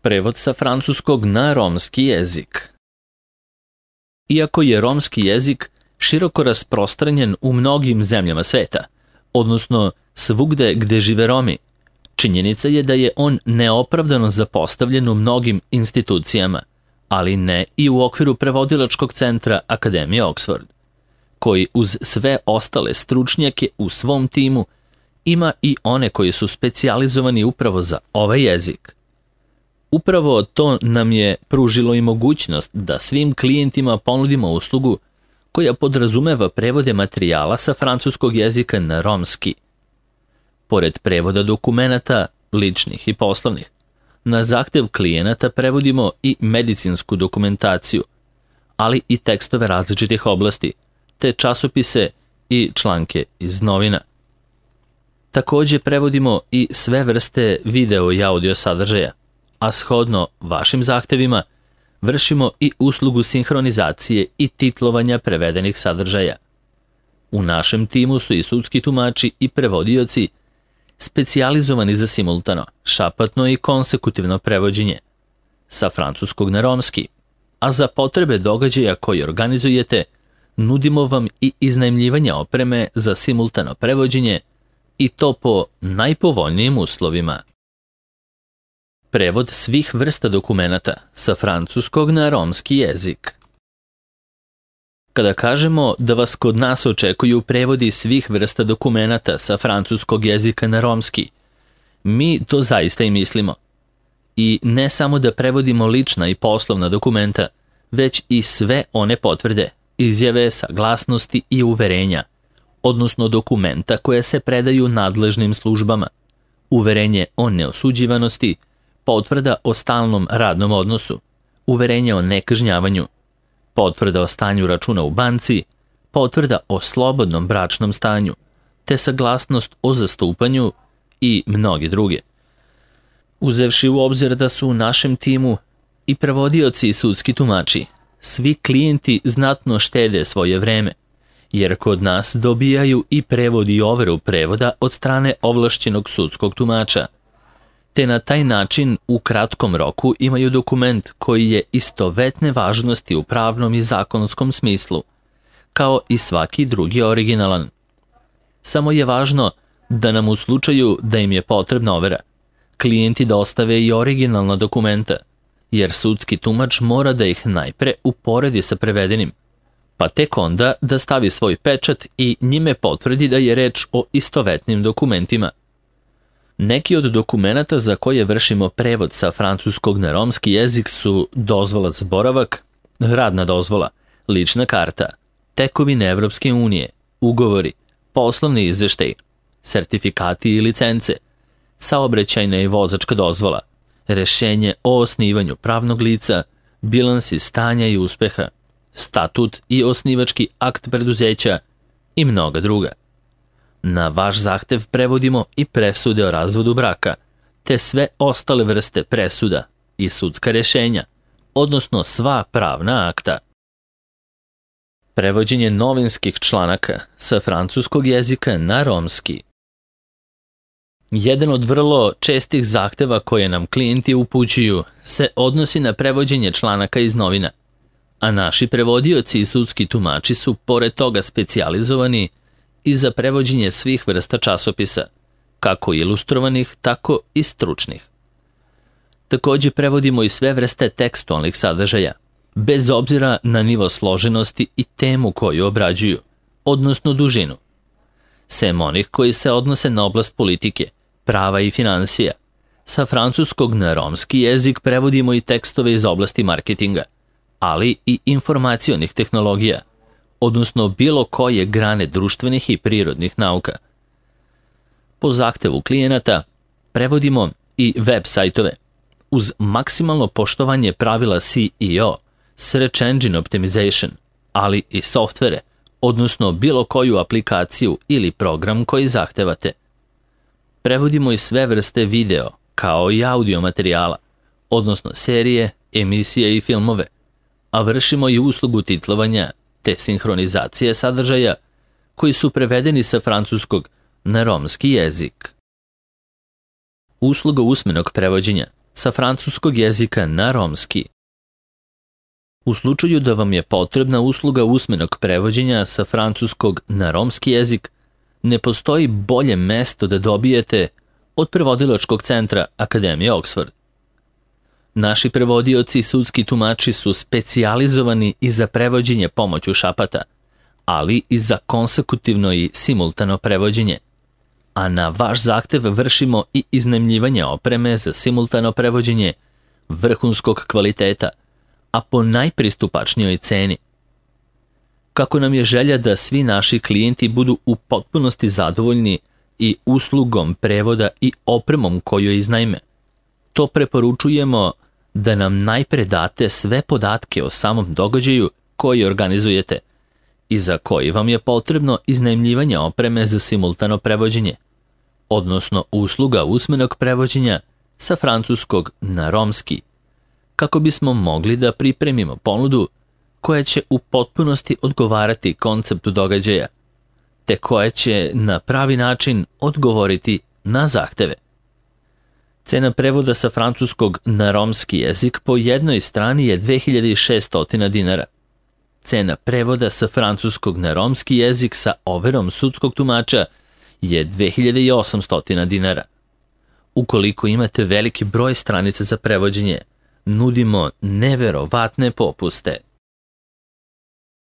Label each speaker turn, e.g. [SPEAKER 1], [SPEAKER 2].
[SPEAKER 1] Prevod sa francuskog na romski jezik. Iako je romski jezik široko rasprostranjen u mnogim zemljama sveta, odnosno svugde gde žive Romi, činjenica je da je on neopravdano zapostavljen u mnogim institucijama, ali ne i u okviru prevodilačkog centra Akademije Oxford, koji uz sve ostale stručnjake u svom timu ima i one koji su specijalizovani upravo za ovaj jezik. Upravo to nam je pružilo i mogućnost da svim klijentima ponudimo uslugu koja podrazumeva prevode materijala sa francuskog jezika na romski. Pored prevoda dokumenata, ličnih i poslovnih, na zahtev klijenata prevodimo i medicinsku dokumentaciju, ali i tekstove različitih oblasti, te časopise i članke iz novina. Takođe prevodimo i sve vrste video i audio sadržaja, a shodno vašim zahtevima vršimo i uslugu sinhronizacije i titlovanja prevedenih sadržaja. U našem timu su i sudski tumači i prevodioci specijalizovani za simultano, šapatno i konsekutivno prevođenje sa francuskog na romski, a za potrebe događaja koji organizujete nudimo vam i iznajmljivanje opreme za simultano prevođenje i to po najpovoljnijim uslovima. Prevod svih vrsta dokumenata sa francuskog na romski jezik. Kada kažemo da vas kod nas očekuju prevodi svih vrsta dokumenata sa francuskog jezika na romski, mi to zaista i mislimo. I ne samo da prevodimo lična i poslovna dokumenta, već i sve one potvrde, izjave, saglasnosti i uverenja, odnosno dokumenta koje se predaju nadležnim službama, uverenje o neosuđivanosti, potvrda o stalnom radnom odnosu, uverenje o nekažnjavanju, potvrda o stanju računa u banci, potvrda o slobodnom bračnom stanju, te saglasnost o zastupanju i mnoge druge. Uzevši u obzir da su u našem timu i prevodioci i sudski tumači, svi klijenti znatno štede svoje vreme, jer kod nas dobijaju i prevod i overu prevoda od strane ovlašćenog sudskog tumača, te na taj način u kratkom roku imaju dokument koji je istovetne važnosti u pravnom i zakonskom smislu, kao i svaki drugi originalan. Samo je važno da nam u slučaju da im je potrebna overa, klijenti dostave i originalna dokumenta, jer sudski tumač mora da ih najpre uporedi sa prevedenim, pa tek onda da stavi svoj pečat i njime potvrdi da je reč o istovetnim dokumentima. Neki od dokumenata za koje vršimo prevod sa francuskog na romski jezik su dozvola za boravak, radna dozvola, lična karta, tekovine Evropske unije, ugovori, poslovni izveštaj, sertifikati i licence, saobraćajna i vozačka dozvola, rešenje o osnivanju pravnog lica, bilansi stanja i uspeha, statut i osnivački akt preduzeća i mnoga druga. Na vaš zahtev prevodimo i presude o razvodu braka, te sve ostale vrste presuda i sudska rešenja, odnosno sva pravna akta. Prevođenje novinskih članaka sa francuskog jezika na romski. Jedan od vrlo čestih zahteva koje nam klijenti upućuju se odnosi na prevođenje članaka iz novina, a naši prevodioci i sudski tumači su pored toga specijalizovani i za prevođenje svih vrsta časopisa, kako ilustrovanih, tako i stručnih. Takođe prevodimo i sve vrste tekstualnih sadržaja, bez obzira na nivo složenosti i temu koju obrađuju, odnosno dužinu. Sem onih koji se odnose na oblast politike, prava i finansija, sa francuskog na romski jezik prevodimo i tekstove iz oblasti marketinga, ali i informacionih tehnologija, odnosno bilo koje grane društvenih i prirodnih nauka. Po zahtevu klijenata prevodimo i web sajtove uz maksimalno poštovanje pravila SEO, Search Engine Optimization, ali i softvere, odnosno bilo koju aplikaciju ili program koji zahtevate. Prevodimo i sve vrste video, kao i audio materijala, odnosno serije, emisije i filmove, a vršimo i uslugu titlovanja te sinhronizacije sadržaja koji su prevedeni sa francuskog na romski jezik. Usluga usmenog prevođenja sa francuskog jezika na romski. U slučaju da vam je potrebna usluga usmenog prevođenja sa francuskog na romski jezik, ne postoji bolje mesto da dobijete od prevodilačkog centra Akademije Oxford. Naši prevodioci i sudski tumači su specijalizovani i za prevođenje pomoću šapata, ali i za konsekutivno i simultano prevođenje, a na vaš zahtev vršimo i iznajmljivanje opreme za simultano prevođenje vrhunskog kvaliteta, a po najpristupačnijoj ceni. Kako nam je želja da svi naši klijenti budu u potpunosti zadovoljni i uslugom prevoda i opremom koju iznajme, to preporučujemo da nam najpre date sve podatke o samom događaju koji organizujete i za koji vam je potrebno iznajmljivanje opreme za simultano prevođenje, odnosno usluga usmenog prevođenja sa francuskog na romski, kako bismo mogli da pripremimo ponudu koja će u potpunosti odgovarati konceptu događaja, te koja će na pravi način odgovoriti na zahteve. Cena prevoda sa francuskog na romski jezik po jednoj strani je 2600 dinara. Cena prevoda sa francuskog na romski jezik sa overom sudskog tumača je 2800 dinara. Ukoliko imate veliki broj stranica za prevođenje, nudimo neverovatne popuste.